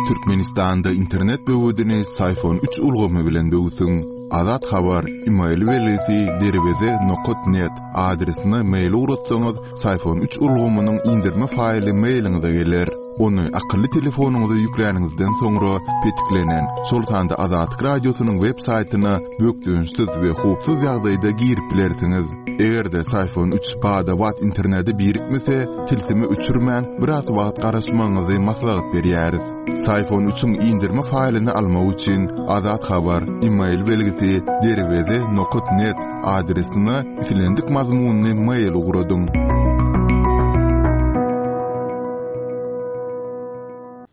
Türkmenistanda internet böwedini Syfon üç ulgamy bilen böwsüň. Azat Habar, email belgisi derweze nokat net adresine mail ugratsaňyz, Syfon üç ulgamynyň indirme faýly mailiňize geler. Ony akylly telefonyňyza ýükläniňizden soňra petiklenen, şol sanda Azatlyk Radiosynyň web saýtyna bökdençsiz we howpsuz ýagdaýda girip bilersiňiz. Eger-de Syfon üç bada-bat internete birikmese, tilsimi öçürmän, biraz wagt garaşmagyňyzy maslahat berýäris. Syfon üçiň indirme faýlyny almak üçin Azat Habar, email belgisi derweze nokat net adresine islendik mazmunly mail ugradyň.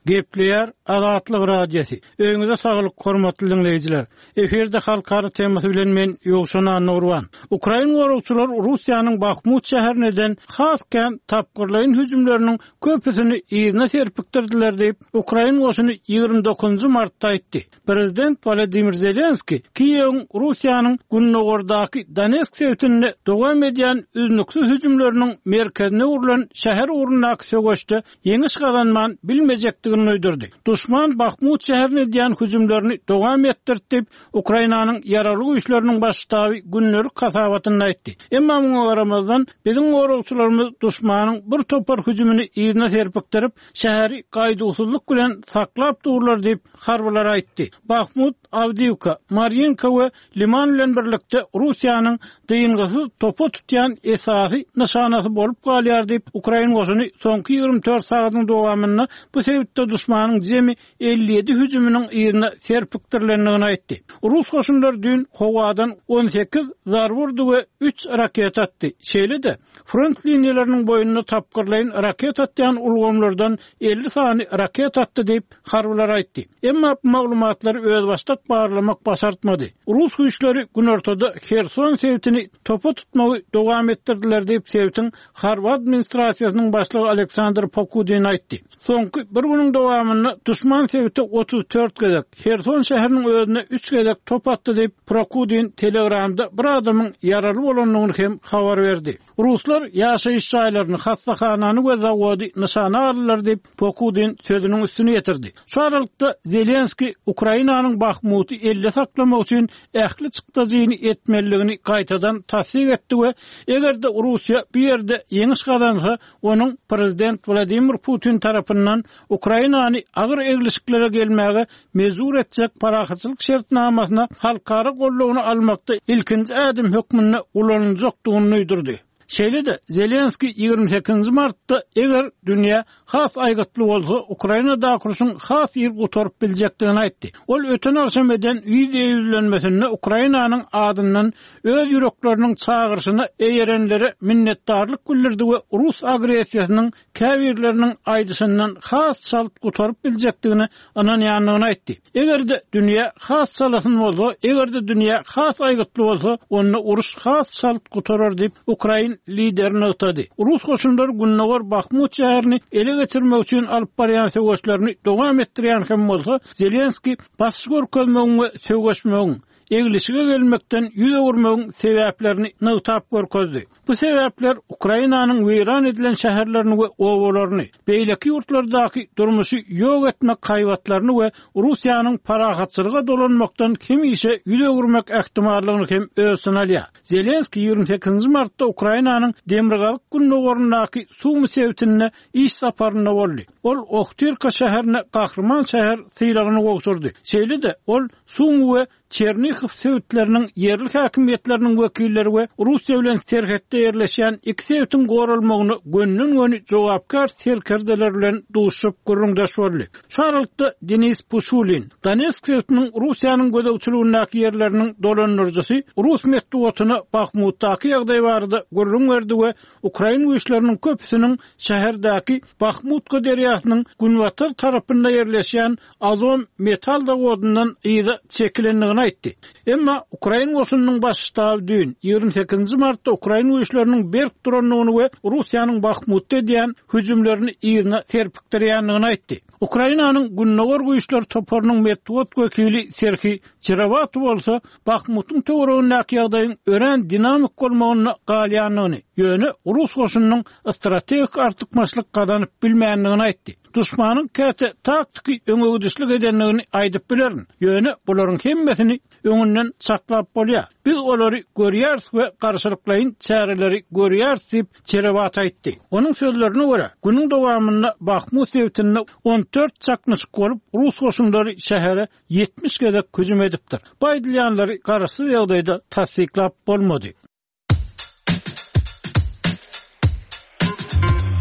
Gepleýär Azatlyk Radiosy. Öýüňize saglyk, hormatly diňleýjiler! Efirde Halkara temasy bilen men Ýowşan Annagurban. Ukrain goragçylary Russiýanyň Bahmut şäherine eden has kän tapgyrlaýyn hüjümleriniň köpüsini yzyna serpikdirdiler diýip, ukrain goşuny 29 martda aýtdy. Prezident Wolodymyr Zelenskiý Kiýewiň Russiýanyň gündogardaky Donetsk sebitinde dowam edýän üznüksiz hüjümleriniň merkezine öwrülen şäher ugrundaky söweşde ýeňiş gazanman bilmejekdigini duýdurdy. Duşman Bahmut şäherine edýän hüjümlerini dowam etdirdi diýip, Ukrainanyň Ýaragly Güýçleriniň Baş ştaby gündelik hasabatynda aýtdy. Emma muňa garamazdan, biziň goragçylarymyz duşmanyň bir topar hüjümini yzyna serpikdirip, şäheri gaýduwsyzlyk bilen saklap durlar diýip, harbylar aýtdy. Bahmut, Awdiwka, Marýinka we Liman bilen birlikde Russiýanyň dyngysyz topa tutýan esasy nyşanasy bolup galýar diýip, ukrain goşuny soňky 24 sagadyň dowamynda bu sebitde duşmanyň jemi 57 hüjüminiň yzyna serpikdirilendigini aýtdy. Rus goşunlary düýn howadan 18 zarba urdy we üç raketa atdy. Şeýle-de, front liniýalarynyň boýunda tapgyrlaýyn raketa atýan ulgamlardan 50 sany raketa atdy diýip, harbylar aýtdy. Emma bu maglumatlary özbaşdak barlamak başartmady. Rus güýçleri günortada Herson sebitini topa tutmagy dowam etdirdiler diýip, sebitiň harby administrasiýasynyň başlygy Aleksandr Pokudin aýtdy. Soňky bir günüň dowamynda duşman sebite 34 gezek, Herson şäheriniň özüne üç gezek top atdy diýip, Prokudin Telegramda bir adamyň ýaraly bolandygyny hem habar berdi. Ruslar ýaşaýyş jaýlaryny, hassahanany we zawody nyşana aldylar diýip, Pokudin sözüniň üstüni ýetirdi. Şu aralykda, Zelenskiý Ukrainanyň Bahmuty elde saklamak üçin ähli çykdajyny etmelidigini gaýtadan tassyk etdi we eger-de Russiýa bu ýerde ýeňiş gazansa, onuň prezident Wladimir Putin tarapyndan Ukrainany agyr eglişiklere gelmäge mejbur etjek parahatçylyk şertnamasyna halkara goldawyny almakda ilkinji ädim hökmünde ulanyljakdygyny duýdurdy. Şeýle-de, Zelenskiý 28 martda eger dünýä has aýgytly bolsa, Ukrainadaky urşuň has ir gutaryp biljekdigini aýtdy. Ol öten agşam eden wideo ýüzlenmesinde Ukrainanyň adyndan öz ýürekleriniň çagyryşyna eýerenlere minnetdarlyk bildirdi we rus agressiýasynyň käbirleriniň aýdyşyndan has çalt gutaryp biljekdigine ynanýandygyny aýtdy. Eger-de dünýä has çalasyn bolsa, eger-de dünýä has aýgytly bolsa, onda uruş has çalt gutarar diýip, ukrain lideri nygtady. Rus goşunlary gündogar Bahmut şäherini ele geçirmek üçin alyp barýan söweşlerini dowam etdirýän hem bolsa, Zelenskiý basyş görkezmegiň we söweşmegiň, eglişige gelmekden ýüz öwürmegiň sebäplerini nygtap görkezdi. Bu sebäpler Ukrainanyň weýran edilen şäherlerini we obalaryny, beýleki ýurtlardaky durmuşy ýok etmek haýbatlaryny we Russiýanyň parahatçylyga dolanmakdan hemişe ýüz öwürmek ähtimallygyny hem öz içine alýar. Zelenskiý 28 martda Ukrainanyň demirgazyk-gündogaryndaky Sumy sebitinde iş saparynda boldy. Ol Ohtirka şäherine Gahryman şäher sylagyny gowşurdy. Şeýle-de, ol Sumy we Çernihow sebitleriniň ýerli häkimiýetleriniň wekilleri we Russiýa bilen serhetde ýerleşýän iki sebitiň goralmagyna gönden-göni jogapkär serkerdeler bilen duşuşyp gürrüňdeş boldy. Şu aralykda Denis Puşulin, Donetsk sebitiniň Russiýanyň gözegçiligindäki ýerleriniň dolandyryjysy rus metbugatyna Bahmutdaky ýagdaý barada gürrüň berdi we ukrain güýçleriniň köpüsiniň şäherdäki Bahmutka derýasynyň günbatar tarapynda ýerleşýän Azom metal zawodyndan yza çekilendigini aýtdy. Emma ukrain goşunynyň baş ştaby düýn, 28-nji martda ukrain güýçleriniň berk durandygyny we Russiýanyň Bahmutda edýän hüjümlerini yzyna serpikdirýändigini aýtdy. Ukrainanyň Gündogar güýçleri toparynyň metbugat wekili Serhiý Çerewatow bolsa Bahmutyň töweregindäki ýagdaýyň örän dinamik bolmagynda galýandygyny, ýöne rus goşunynyň strategik artykmaçlyk gazanyp bilmändigini aýtdy. Duşmanyň käte taktiki öňegidişlik edendigini aýdyp bilerin, ýöne bularyň hemmesini öňünden çaklap bolýar. Biz olary görýäris we garşylyklaýyn çäreleri görýäris diýip, Çerewat aýtdy. Onuň sözlerine görä, günüň dowamynda Bahmut sebitinde 14 çaknyşyk bolup, rus goşunlary şähere 70 gezek hüjüm edipdir. Bu aýdylýanlary garaşsyz ýagdaýda tassyklap bolmady.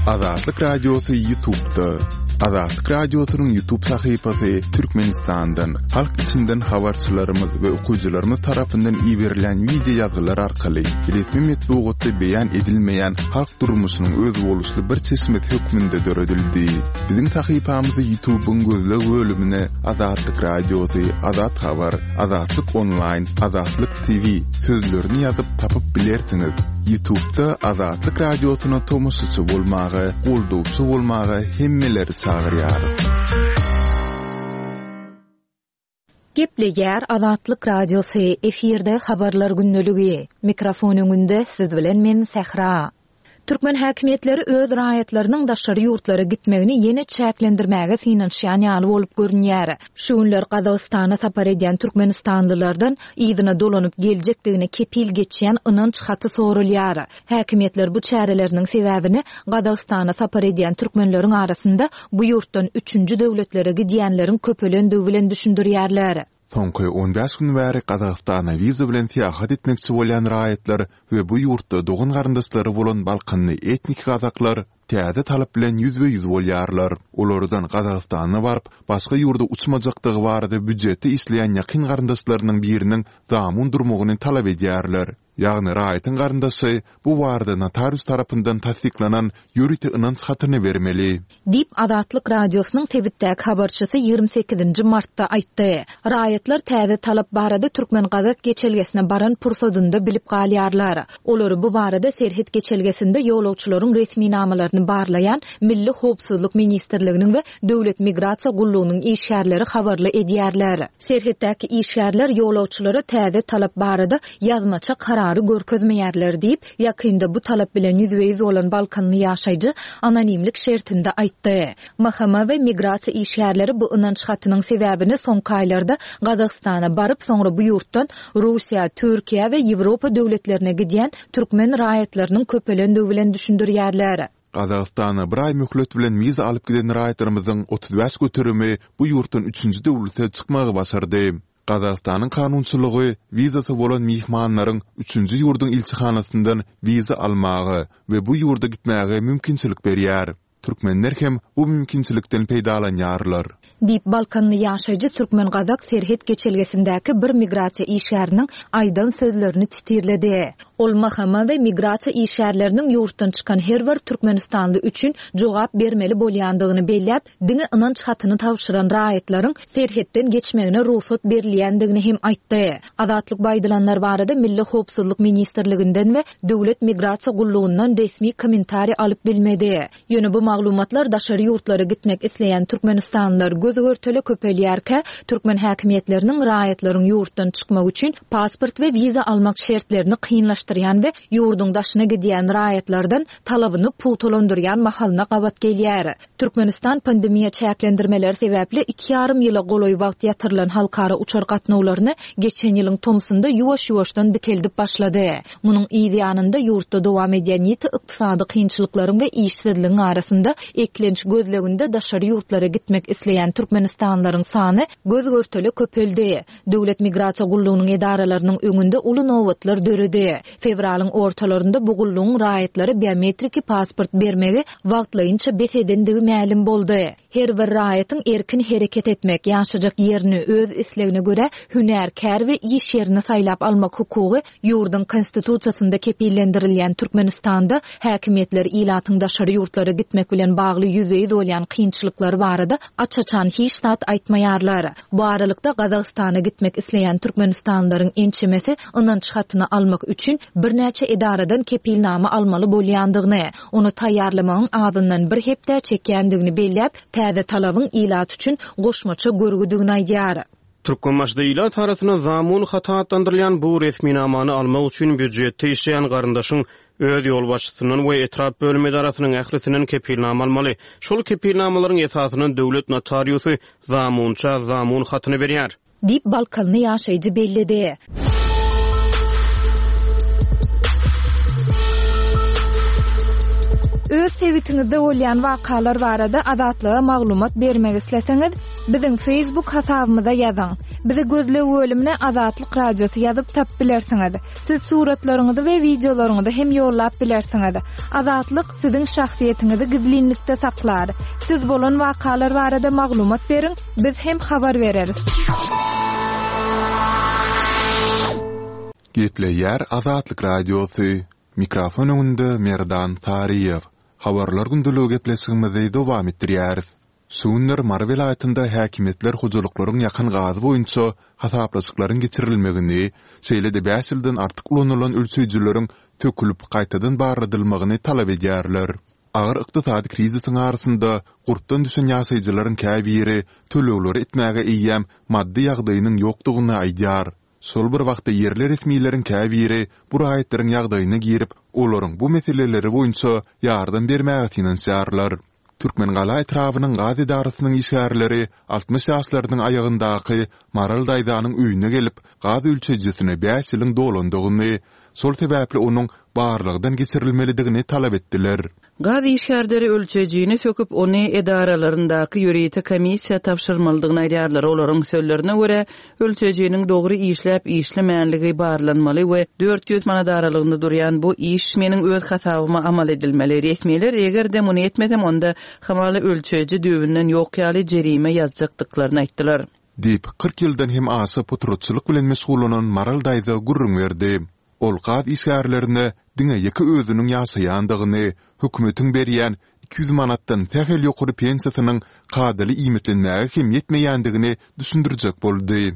Azatlyk Radiosy YouTube'da. Azatlyk Radiosynyň YouTube sahypasy Türkmenistandan, halk içinden habarçylarymyz we okyjylarymyz tarapyndan iberilen wideo ýazgylar arkaly resmi metbugatda beýan edilmeýän halk durmuşynyň özboluşly bir çeşmesi hökmünde döredildi. Biziň sahypamyzy YouTube'yň gözleg bölümine Azatlyk Radiosy, Azat Habar, Azatlyk Onlaýn, Azatlyk TV sözlerini ýazyp tapyp bilersiňiz. Ýutubda Azatlyk Radiosyna tomaşaçy bolmaga, goldawçy bolmaga hemmeleri çagyrýarys. Gepleýär Azatlyk Radiosy, efirde Habarlar gündeligi. Mikrofon öňünde siz bilen men Sähra. Türkmen häkimiýetleri öz raýatlarynyň daşary ýurtlara gitmegini ýene çäklendirmäge synanyşýan ýaly bolup görünýär. Şu günler Gazagystana sapar edýän türkmenistanlylardan yzyna dolanyp geljekdigine kepil geçýän ynanç haty soralýar. Häkimiýetler bu çäreleriniň sebäbini Gazagystana sapar edýän türkmenleriň arasynda bu ýurtdan üçünji döwletlere gidýänleriň köpelendigi bilen düşündirýärler. Soňky on bäş gün bäri Gazagystana wiza bilen syýahat etmekçi bolýan raýatlar we bu ýurtda dogan-garyndaşlary bolan balkanly etniki gazaklar täze talap bilen ýüzbe-ýüz bolýarlar. Olardan Gazagystana baryp, başga ýurda uçmajakdygy barada býujetde işleýän ýakyn garyndaşlarynyň biriniň zamun durmagyny talap edýärler. Ýagny raýatyň garyndaşy bu barada notarius tarapyndan tassyklanan ýörite ynanç hatyny bermeli. Diýip, Azatlyk Radiosynyň sebitdäki habarçysy 28 nji martda aýtdy. Raýatlar täze talap barada türkmen-gazak geçelgesine baran pursadynda bilip galýarlar. Olary bu barada serhet geçelgesinde ýolagçylaryň resminamalaryny barlaýan Milli howpsuzlyk ministrliginiň we Döwlet migrasiýa gullugynyň işgärleri habarly edýärler. Serhetdäki işgärler ýolagçylara täze talap barada ýazmaça karary görkezmeýärler diýip, ýakynda bu talap bilen ýüzbe-ýüz bolan balkanly ýaşaýjy anonimlik şertinde aýtdy. MHM we migrasiýa işgärleri bu ynanç hatynyň sebäbini soňky aýlarda Gazagystana baryp, soňra bu ýurtdan Russiýa, Türkiýä we Ýewropa döwletlerine gidýän türkmen raýatlarynyň köpelendigi bilen düşündirýärler. Gazagystana bir aý möhlet bilen wiza alyp giden raýatlarymyzyň 35 göterimi bu ýurtdan üçünji döwlete çykmagy başardy. Gazagystanyň kanunçylygy wizasy bolan myhmanlaryň üçünji ýurduň ilçihanasyndan wiza almaga we bu ýurda gitmäge mümkinçilik berýär. Türkmenler hem bu mümkinçilikden peýdalanýarlar. Diýip, balkanly ýaşaýjy türkmen-gazak serhet geçelgesindäki bir migrasiýa işgäriniň aýdan sözlerini titirledi. Ol MHM we migrasiýa işgärleriniň ýurtdan çykan her bir türkmenistanly üçin jogap bermeli bolýandygyny belläp, diňe ynanç hatyny tabşyran raýatlaryň serhetden geçmegine rugsat berilýändigini hem aýtdy. Azatlyk bu aýdylanlar barada Milli howpsuzlyk ministrliginden we Döwlet migrasiýa gullugyndan resmi kommentariý alyp bilmedi. Ýöne bu maglumatlar daşary ýurtlara gitmek isleýän türkmenistanlylar göz-görtele köpelýärkä, türkmen häkimiýetleriniň raýatlaryň ýurtdan çykmagy üçin pasport we wiza almak şertlerini kynlaşdyrýan we ýurduň daşyna gidýän raýatlardan talabyny pugtalandyrýan mahalyna gabat gelýär. Türkmenistan pandemiýa çäklendirmeleri sebäpli iki ýarym ýyla golaý wagt ýatyrylan halkara uçar gatnawlaryny geçen ýylyň tomsunda ýuwaş-ýuwaşdan dikeldip başlady. Munuň yz ýanynda ýurtda dowam edýän ýiti ykdysady kynçylyklaryň we işsizligiň arasynda eklenç gözleginde daşary ýurtlara gitmek isleýän türkmenistanlylaryň sany göz-görtele köpeldi. Döwlet migrasiýa gullugynyň edaralarynyň öňünde uly nobatlar döredi. Fewralyň ortalarynda bu gullugyň raýatlara biometriki pasport bermegi wagtlaýynça bes edendigi mälim boldy. Her bir raýatyň erkin hereket etmek, ýaşajak ýerini, öz islegine görä hünär, kär we iş ýerini saýlap almak hukugy ýurduň Konstitusiýasynda kepillendirilýän Türkmenistanda häkimiýetler ilatyň daşary ýurtlara gitmek bilen bagly ýüzbe-ýüz bolýan kynçylyklary barada aç-açan hiç zat aýtmaýarlar. Bu aralykda, Gazagystana gitmek isleýän türkmenistanlylaryň ençemesi ynanç hatyny almak üçin. birnäçe edaradan kepilnama almaly bolýandygyny, ony taýýarlamagyň azyndan bir hepdä çekýändigini belläp, täze talabyň ilat üçin goşmaça görgüdigini aýdýar. Türkmenbaşyda ilat arasynda zamun haty atlandyrylýan bu resminamany almak üçin býujetde işleýän garyndaşyň öz ýolbaşçysyndan we etrap bölüm edarasynyň ählisinden kepilnama almaly. Şol kepilnamalaryň esasynda döwlet notariusy zamunça zamun hatyny berýär. Diýip, balkanly ýaşaýjy belledi. Öz sebitiňizde bolýan wakalar barada Azatlyga maglumat bermek isleseňiz, biziň Facebook hasabymyza ýazyň. Bizi gözleg bölümine Azatlyk Radiosy ýazyp tapyp bilersiňiz. Siz suratlaryňyzy we wideolaryňyzy hem ýollap bilersiňiz. Azatlyk siziň şahsyýetiňizi gizlinlikde saklar. Siz bolan wakalar barada maglumat beriň, biz hem habar bereris. Gepleýär Azatlyk Radiosy, Mikrofon öňünde Merdan Saryýew. Habarlar gündeligi gepleşigimizi dowam etdirýäris. Şu günler Mary welaýatynda häkimiýetler hojalyklaryň ýakan gazy boýunça hasaplaşyklaryň geçirilmegini, şeýle-de bäş ýyldan artyk ulanylan ölçeýjileriň sökülip, gaýtadan barladylmagyny talap edýärler. Agyr ykdysady krizisiň arasynda gurpdan düşen ýaşaýjylaryň käbiri tölegleri etmäge eýýäm maddy ýagdaýynyň ýokdugyny aýdýar. Şol bir wagtda ýerli resmileriň käbiri bu raýatlaryň ýagdaýyna girip, olaryň bu meseleleri boýunça ýardam bermäge synanyşýarlar. Türkmengala etrabynyň gaz edarasynyň işgärleri 60 ýaşlarynyň aýagyndaky Maral daýzanyň öýüne gelip, gaz ölçeýjisine bäş ýylyň dolandygyny, şol sebäpli onuň barlagdan geçirilmelidigini talap etdiler. Gaz işgärleri ölçeýjini söküp, ony edaralaryndaky ýörite komissiýa tabşyrmalydygyny aýdýarlar. Olaryň sözlerine görä, ölçeýjiniň dogry işläp-işlemänligi barlanmaly we 400 manat aralygynda durýan bu iş meniň öz hasabyma amal edilmeli. Resmiler eger-de muny etmesem, onda hamala ölçeýji düýbünden ýok ýaly jerime ýazjakdyklaryny aýtdylar. Diýip, 40 ýyldan hem aşa potratçylyk bilen meşgullanan Maral daýza gürrüň berdi. Ol gaz işgärlerine diňe ýeke özüniň ýaşaýandygyny, hökümetiň berýän 200 manatdan sähel ýokary pensiýasynyň kadaly iýmitlenmäge hem ýetmeýändigini düşündirjek boldy.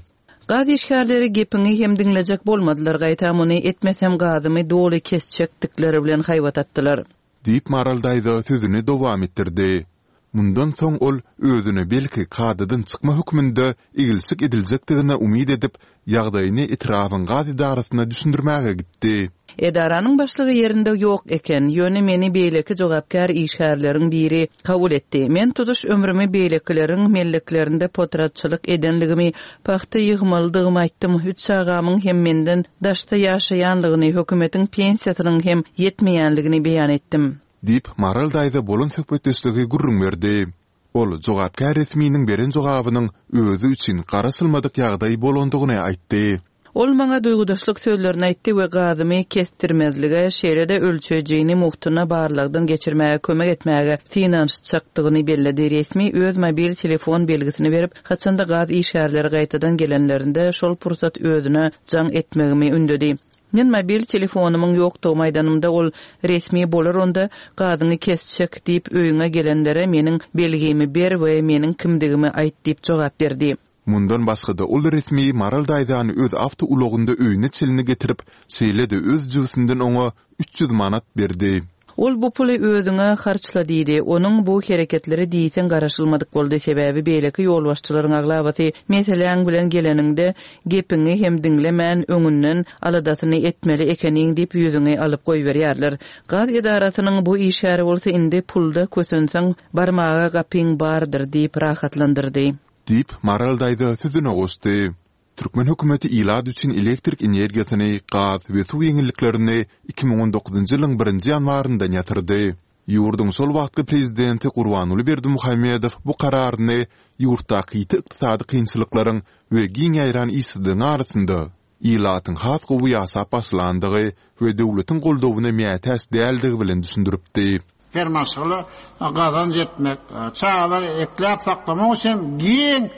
Gaz işgärleri gepiňi hem diňlejek bolmadylar, gaýtam muny etmesem gazymy doly kesjekdikleri bilen haýbat atdylar. Diýip, Maral daýza sözüni dowam etdirdi. Mundan soň ol özüne belki kadadan çykma hökmünde eglşik ediljekdigine umyt edip, ýagdaýyny etrabyň gaz edarasyna düşündirmäge gitdi. Edaranyň başlygy ýerinde ýok eken, ýöne meni beýleki jogapkär işgärleriň biri kabul etdi. Men tutuş ömrümi beýlekileriň melleklerinde potratçylyk edenligimi, pagta ýygmalydygymy aýtdym, üç çagamyň hem menden daşda ýaşaýanlygyny, hökümetiň pensiýasynyň hem ýetmeýänligini beýan etdim. Diýip, Maral daýza bolan söhbetdeşligi gürrüň berdi. Ol jogapkär resminiň beren jogabynyň özi üçin garaşylmadyk ýagdaý bolandygyny aýtdy. Ol maňa duýgudaşlyk sözlerini aýtdy we gazymy kesdirmezlige, şeýle-de ölçeýjini mugtuna barlagdan geçirmäge kömek etmäge synanyşjakdygyny belledi. Resmi öz mobil telefon belgisini berip, haçanda gaz işgärleri gaýtadan gelenlerinde, şol pursat özüne jaň etmegimi ündedi. Men mobil telefonymyň ýokdugymy aýdanymda, ol, Resmi bolar onda, gazyňy kesjek diýip öýüňe gelenlere meniň belgimi ber we meniň kimdigimi aýt diýip jogap berdi. Mundan başga-da ol resmi Maral daýzany öz awtoulagynda öýüne çenli getirip, şeýle-de öz jübüsinden oňa 300 manat berdi. Ol bu puly özüňe harçla diýdi. Onuň bu hereketleri diýseň garaşylmadyk boldy, sebäbi beýleki ýolbaşçylaryň aglabasy meseläň bilen geleniňde gepiňi hem diňlemän öňünden aladasyny etmeli ekeniň diýip ýüzüňi alyp goýberýärler. Gaz edarasynyň bu işgäri bolsa indi pulda kösenseň barmaga gapyň bardyr diýip rahatlandyrdy. Diýip, Maral daýza sözüne goşdy. Türkmen hökümeti ilat üçin elektrik energiýasyny, gaz we suw ýeňilliklerini 2019-njy ýylyň birinji ýanwaryndan ýatyrdy. Ýurduň şol wagtky prezidenti Gurbanguly Berdimuhamedow bu kararyny ýurtdaky ýiti ykdysady kynçylyklaryň we giň ýaýran işsizligiň arasynda ilatyň has gowy ýaşap başlandygy we döwletiň goldawyna mätäç däldigi bilen düşündiripdi. Her maşgala gazanç etmek, çagalary ekläp-saklamak üçin giň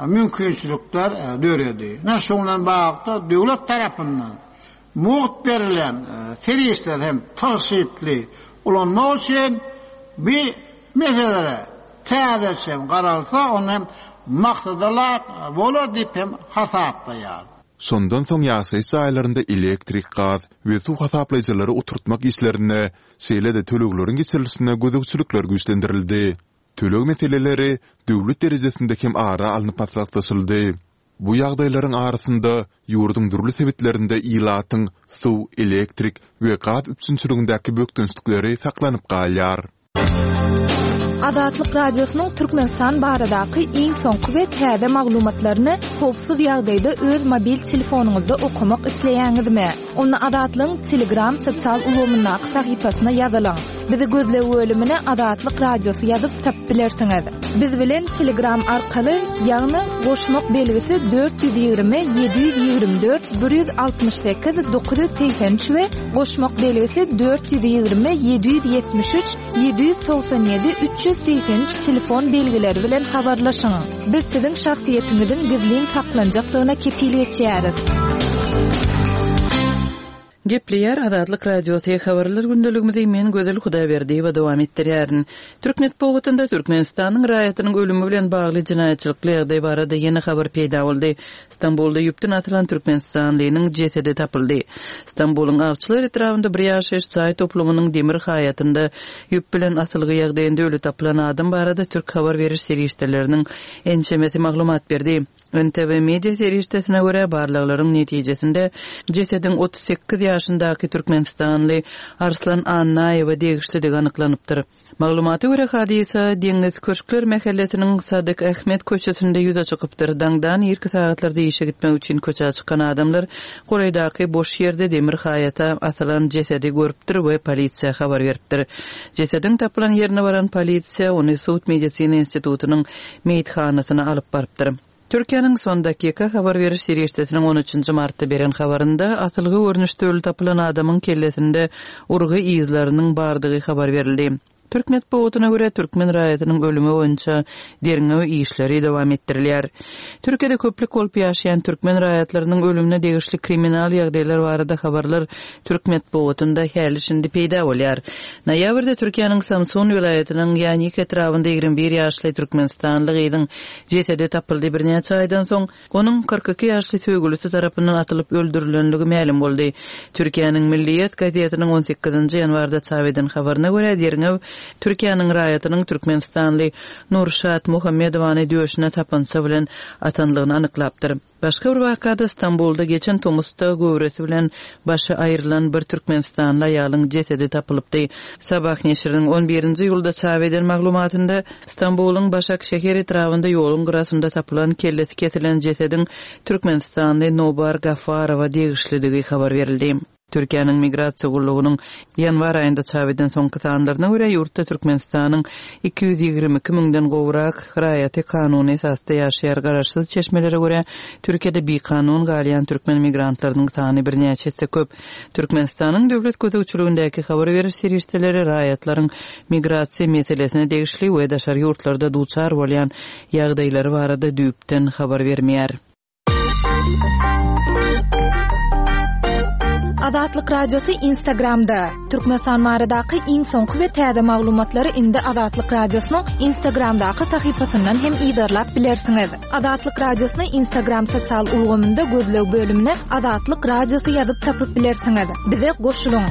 mümkinçilikler döredi. Ine, şunuň bilen baglylykda döwlet tarapyndan mugt berilýän serişdeleri hem tygşytly ulanmak üçin bu meselelere täzeçe hem garalsa, onda hem maksada laýyk bolar diýip hem hasaplaýaryn. Şondan soň ýaşaýyş jaýlarynda elektrik, gaz we suw hasaplaýjylary oturtmak işlerine, şeýle-de tölegleriň geçirilişine gözegçilikler güýçlendirildi. Töleg meseleleri döwlet derejesinde hem ara alnyp maslahatlaşyldy. Bu ýagdaýlaryň arasynda, ýurduň dürli sebitlerinde ilatyň suw, elektrik we gaz üpjünçiligindäki bökdençlikleri saklanyp galýar. Azatlyk Radiosynyň Türkmenistan baradaky iň soňky we täze maglumatlaryny howpsuz ýagdaýda öz mobil telefonyňyzda okamak isleýäňizmi? Onda Azatlygyň Telegram sosial ulgamyndaky sahypasyna ýazylyň. Bizi gözleg bölümine Azatlyk Radiosy ýazyp tapyp bilersiňiz. Biz bilen Telegram arkaly, ýagny goşmak belgisi 420 724 168 983 we goşmak belgisi 420 773 797 383 telefon belgileri bilen habarlaşyň. Biz siziň şahsyýetiňiziň gizlin saklanjakdygyna kepil geçýäris. Gepleýär Azatlyk Radiosy, Habarlar gündeligimizi men Gözel Hudaýberdiýewa dowam etdirýärin. Türk metbugatynda Türkmenistanyň raýatynyň ölümi bilen bagly jenaýatçylykly ýagdaý barada ýene habar peýda boldy. Stambulda ýüpden asylan türkmenistanlynyň jesedi tapyldy. Stambulyň Awçylar etrabynda bir ýaşaýyş jaý toplumynyň demir haýatynda ýüp bilen asylgy ýagdaýynda öli tapylan adam barada türk habar beriş serişdeleriniň ençemesi maglumat berdi. NTV media serişdesine görä, barlaglaryň netijesinde jesediň 38 ýaşyndaky türkmenistanly Arslan Annaýewe degişlidigi anyklanypdyr. Maglumata görä, hadysa Deňiz köşkler mähellesiniň Sadyk Ahmet köçesinde ýüze çykypdyr. Daňdan irki sagatlarda işe gitmek üçin köçä çykan adamlar golaýdaky boş ýerde demir haýata asylan jesedi görüpdir we polisiýa habar beripdir. Jesediň tapylan ýerine baran polisiýa ony sud-medisina institutynyň meýithanasyna alyp barypdyr. Türkiýäniň Son Dakika habar beriş serişdesiniň on üçünji martda beren habarynda asylgy görnüşde öli tapylan adamyň kellesinde urgy yzlarynyň bardygy habar berildi. Türk metbugatyna görä, türkmen raýatynyň ölümi boýunça derňew işleri dowam etdirilýär. Türkiýede köplük bolup ýaşaýan türkmen raýatlarynyň ölümine degişli kriminal ýagdaýlar barada habarlar türk metbugatynda häli-şindi peýda bolýar. Noýabrda Türkiýäniň Samsun welaýatynyň Ýanik etrabynda 21 ýaşly türkmenistanly gyzyň jesedi tapyldy, birnäçe aýdan soň, onuň 42 ýaşly söýgülisi tarapyndan atylyp öldürilenligi mälim boldy. Türkiýäniň Milliýet gazetiniň on sekizinji ýanwarda çap eden habaryna görä, derňew Türkiýäniň raýatynyň türkmenistanly Nurşat Muhammedowany döşüne sapança bilen atanlygyny anyklapdyr. Başga bir wakada Stambulda geçen tomusda göwresi bilen başy aýrylan bir türkmenistanly aýalyň jesedi tapylypdy. Sabah neşiriniň on birinji iýulda çap eden maglumatynda, Stambulyň Başakşehir etrabynda ýoluň gyrasynda tapylan kellesi kesilen jesediň türkmenistanly Nobar Gafarowa degişlidigi habar berildi. Türkiýäniň Migrasiýa gullugynyň ýanwar aýynda çap eden soňky sanlaryna görä, ýurtda Türkmenistanyň 222 müňden gowrak raýaty kanuny esasda ýaşaýar. Garaşsyz çeşmelere görä, Türkiýede bikanun galýan türkmen migrantlarynyň sany birnäçe esse köp. Türkmenistanyň döwlet gözegçiligindäki habar beriş serişdeleri raýatlaryň migrasiýa meselesine degişli we daşary ýurtlarda duçar bolýan ýagdaýlary barada düýpden habar bermeýär. Azatlyk Radiosy Instagramda. Türkmenistan baradaky iň soňky we täze maglumatlary indi Azatlyk Radiosynyň Instagramdaky sahypasyndan hem yzarlap bilersiňiz. Azatlyk Radiosyny Instagram sosial ulgamynda gözleg bölümine Azatlyk Radiosy ýazyp tapyp bilersiňiz. Bize goşulyň!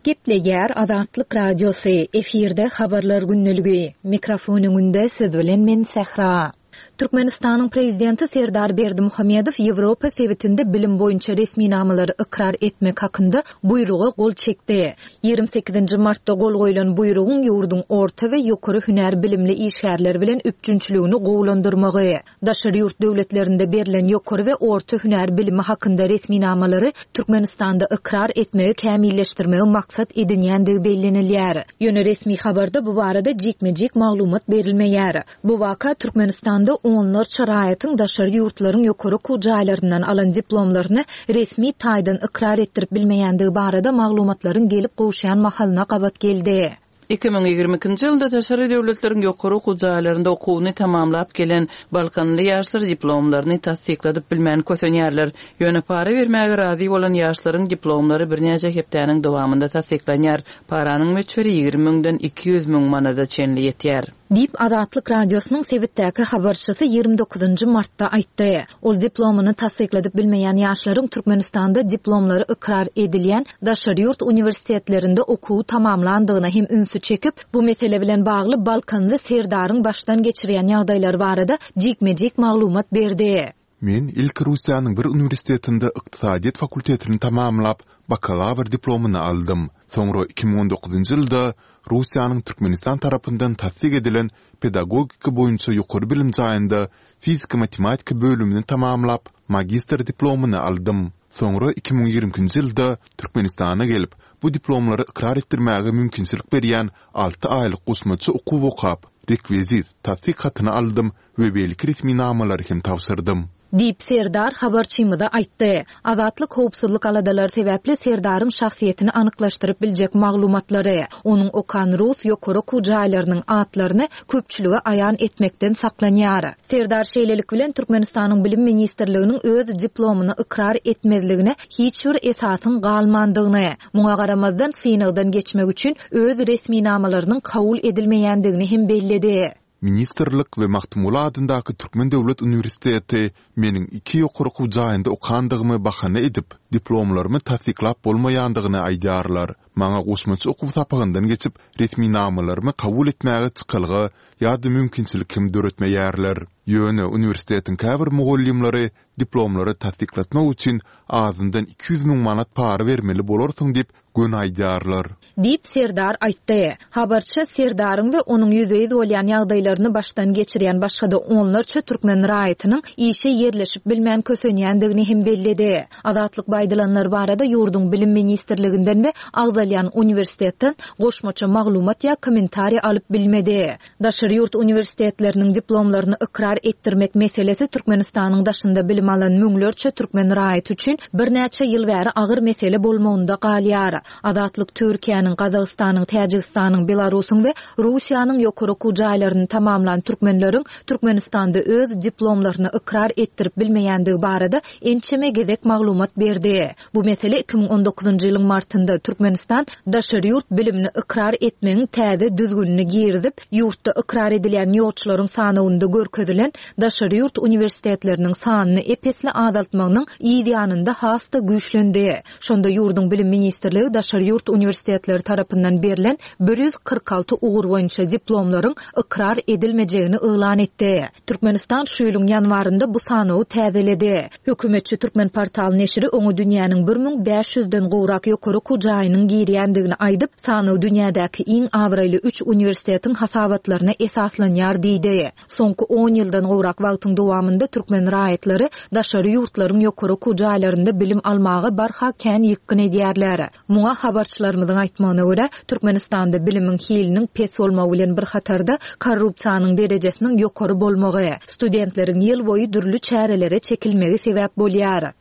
Gepleýär Azatlyk Radiosy, efirde Habarlar gündeligi. Mikrofon öňünde siz bilen men Sähra. Türkmenistanyň Prezidenti Serdar Berdimuhamedow Ýewropa sebitinde bilim boýunça resminamalary ykrar etmek hakynda Buýruga gol çekdi. 28-nji martda gol goýlan Buýrugyň ýurduň orta we ýokary hünär bilimli işgärler bilen üpjünçiligini gowulandyrmagy, Daşary ýurt döwletlerinde berlen ýokary we orta hünär bilimi hakynda resminamalary Türkmenistanda ykrar etmegi kämilleşdirmegi maksat edinýändigi bellenilýär. Ýöne resmi habarda bu barada jikme-jik maglumat berilmeýär. Bu waka Türkmenistanda onlarça raýatyň daşary ýurtlaryň ýokary okuw jaýlaryndan alan diplomlaryny resmi taýdan ykrar etdirip bilmeýändigi barada maglumatlaryň gelip gowuşýan mahalyna gabat geldi. 2022-nji ýylda daşary döwletleriň ýokary okuw jaýlarynda okuwyny tamamlap gelen balkanly ýaşlar diplomlaryny tassykladyp bilmän kösenýärler. Ýöne para bermäge razy bolan ýaşlaryň diplomlary birnäçe hepdäniň dowamynda tassyklanýar. Paranyň möçberi 20 müňden 200 müň manada çenli ýetýär. Diýip, Azatlyk Radiosynyň sebitdäki habarçysy 29 martda aýtdy. Ol diplomyny tassykladyp bilmeýän ýaşlaryň Türkmenistanda diplomlary ykrar edilýän daşary ýurt uniwersitetlerinde okuwy tamamlandygyna hem ünsi çekip, bu mesele bilen bagly balkanly Serdaryň başdan geçirýän ýagdaýlary barada jikme-jik maglumat berdi. Men ilki Russiýanyň bir uniwersitetinde ykdysadyýet fakultetini tamamlap, bakalawr diplomyny aldym. Soňra 2019-njy ýylda Russiýanyň Türkmenistan tarapyndan tassyk edilen pedagogika boýunça ýokary bilim jaýynda fizika-matematika bölümini tamamlap, magistr diplomyny aldym. Soňra 2022-nji ýylda Türkmenistana gelip, bu diplomlary ykrar etdirmäge mümkinçilik berýän alty aýlyk goşmaça okuw okap, rekwizit, tassyk hatyny aldym we beýleki resminamalary hem tabşyrdym. Diýip, Serdar habarçymyza aýtdy. Azatlyk howpsuzlyk aladalary sebäpli Serdaryň şahsyýetini anyklaşdyryp biljek maglumatlary, onuň okan rus ýokary okuw jaýlarynyň atlaryny köpçülige aýan etmekden saklanýar. Serdar şeýlelik bilen Türkmenistanyň Bilim ministrliginiň öz diplomyny ykrar etmezligine hiç bir esasyň galmandygyny, muňa garamazdan synagdan geçmek üçin öz resminamalarynyň kabul edilmeýändigini hem belledi. Ministrlik we Magtymguly adyndaky Türkmen döwlet uniwersiteti meniň iki ýokary okuw jaýynda okandygymy bahana edip, diplomlarymy tassyklap bolmaýandygyny aýdýarlar. Maňa goşmaça okuw sapagyndan geçip, resminamalarymy kabul etmäge çykalga ýa-da mümkinçilik hem döretmeýärler. Ýöne uniwersitetiň käbir mugallymlary diplomlary tassyklatmak üçin azyndan 200 müň manat para bermeli bolarsyň diýip, göni aýdýarlar. Diýip, Serdar aýtdy. Habarçy Serdaryň we onuň ýüzbe-ýüz bolýan ýagdaýlaryny başdan geçirýän başga-da onlarça türkmen raýatynyň işe ýerleşip bilmän kösenýändigini hem belledi. Azatlyk bu aýdylanlar barada ýurduň Bilim ministrliginden we agzalýan uniwersitetden goşmaça maglumat ýa kommentariý alyp bilmedi. Daşary ýurt uniwersitetleriniň diplomlaryny ykrar etdirmek meselesi Türkmenistanyň daşynda bilim alan müňlerçe türkmen raýaty üçin birnäçe ýyl bäri agyr mesele bolmagynda galýar. Azatlyk Türkiýäniň, Gazagystanyň, Täjigistanyň, Belarusyň we Russiýanyň ýokary okuw jaýlaryny tamamlan türkmenleriň Türkmenistanda öz diplomlaryny ykrar etdirip bilmeýändigi barada ençeme gezek maglumat berdi. Bu mesele 2019-njy ýylyň martynda Türkmenistan daşary ýurt bilimini ykrar etmegiň täze düzgünini girizip, ýurtda ykrar edilýän ýolçularyň sanawynda görkezilen daşary ýurt uniwersitetleriniň sanyny ep-esli azaltmagynyň yz ýanynda has-da güýçlendi. Şonda ýurduň Bilim ministrligi daşary ýurt uniwersitetleri tarapyndan berlen 146 ugur boýunça diplomlaryň ykrar edilmejegini yglan etdi. Türkmenistan şu ýylyň ýanwarynda bu sanawy täzeledi. Hökümetçi Türkmenportal neşiri oňa dünýäniň 1500 den gowrak ýokary okuw jaýynyň girýändigini aýdyp, sanaw dünýädäki iň abraýly üç uniwersitetiň hasabatlaryna esaslanýar diýdi. Soňky on ýyldan gowrak wagtyň dowamynda türkmen raýatlary daşary ýurtlaryň ýokary okuw jaýlarynda bilim almaga barha kän ýykgyn edýärler. Muňa habarçylarymyzyň aýtmagyna görä, Türkmenistanda bilimiň hiliniň pes bolmagy bilen bir hatarda, korrupsiýanyň derejesiniň ýokary bolmagy, studentleriň ýyl boýy dürli çärelere çekilmegi sebäp bolýar.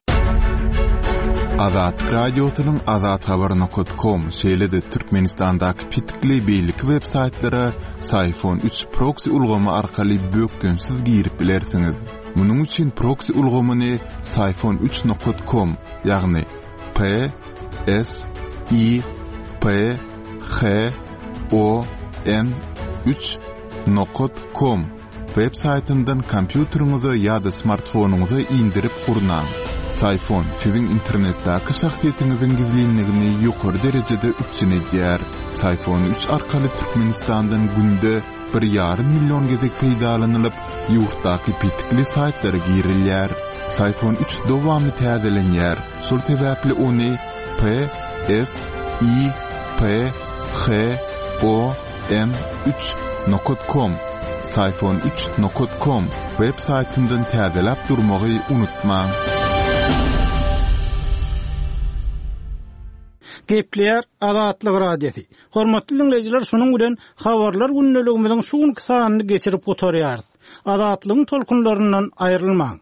Azatlyk Radiosynyň Azathabar nokat kom, şeýle-de Türkmenistandaky petikli beýleki web saýtlara Syfon 3 proksi ulgamy arkaly bökdençsiz girip bilersiňiz. Munuň üçin proksi ulgamyny Syfon 3 nokat kom, ýagny P S I P H O N 3 nokat kom web saýtyndan kompýuteriňize ýa-da smartfonyňyza indirip gurnaň. Syfon siziň internetdäki şahsyýetiňiziň gizlinligini ýokary derejede üpjün edýär. Syfon 3 arkaly Türkmenistandan günde bir ýarym million gezek peýdalanylyp, ýurtdaky petikli saýtlara girilýär. Syfon 3 dowamly täzelenýär, şol sebäpli ony P S I P H O N 3 nokat kom Syfon 3 nokat kom web saýtyndan täzeläp durmagy unutmaň. Gepleýär Azatlyk Radiosy. Hormatly diňleýjiler, şunuň bilen Habarlar gündeligimiziň şu günki sanyny geçirip gutarýarys. Azatlygyň tolkunlaryndan aýrylmaň!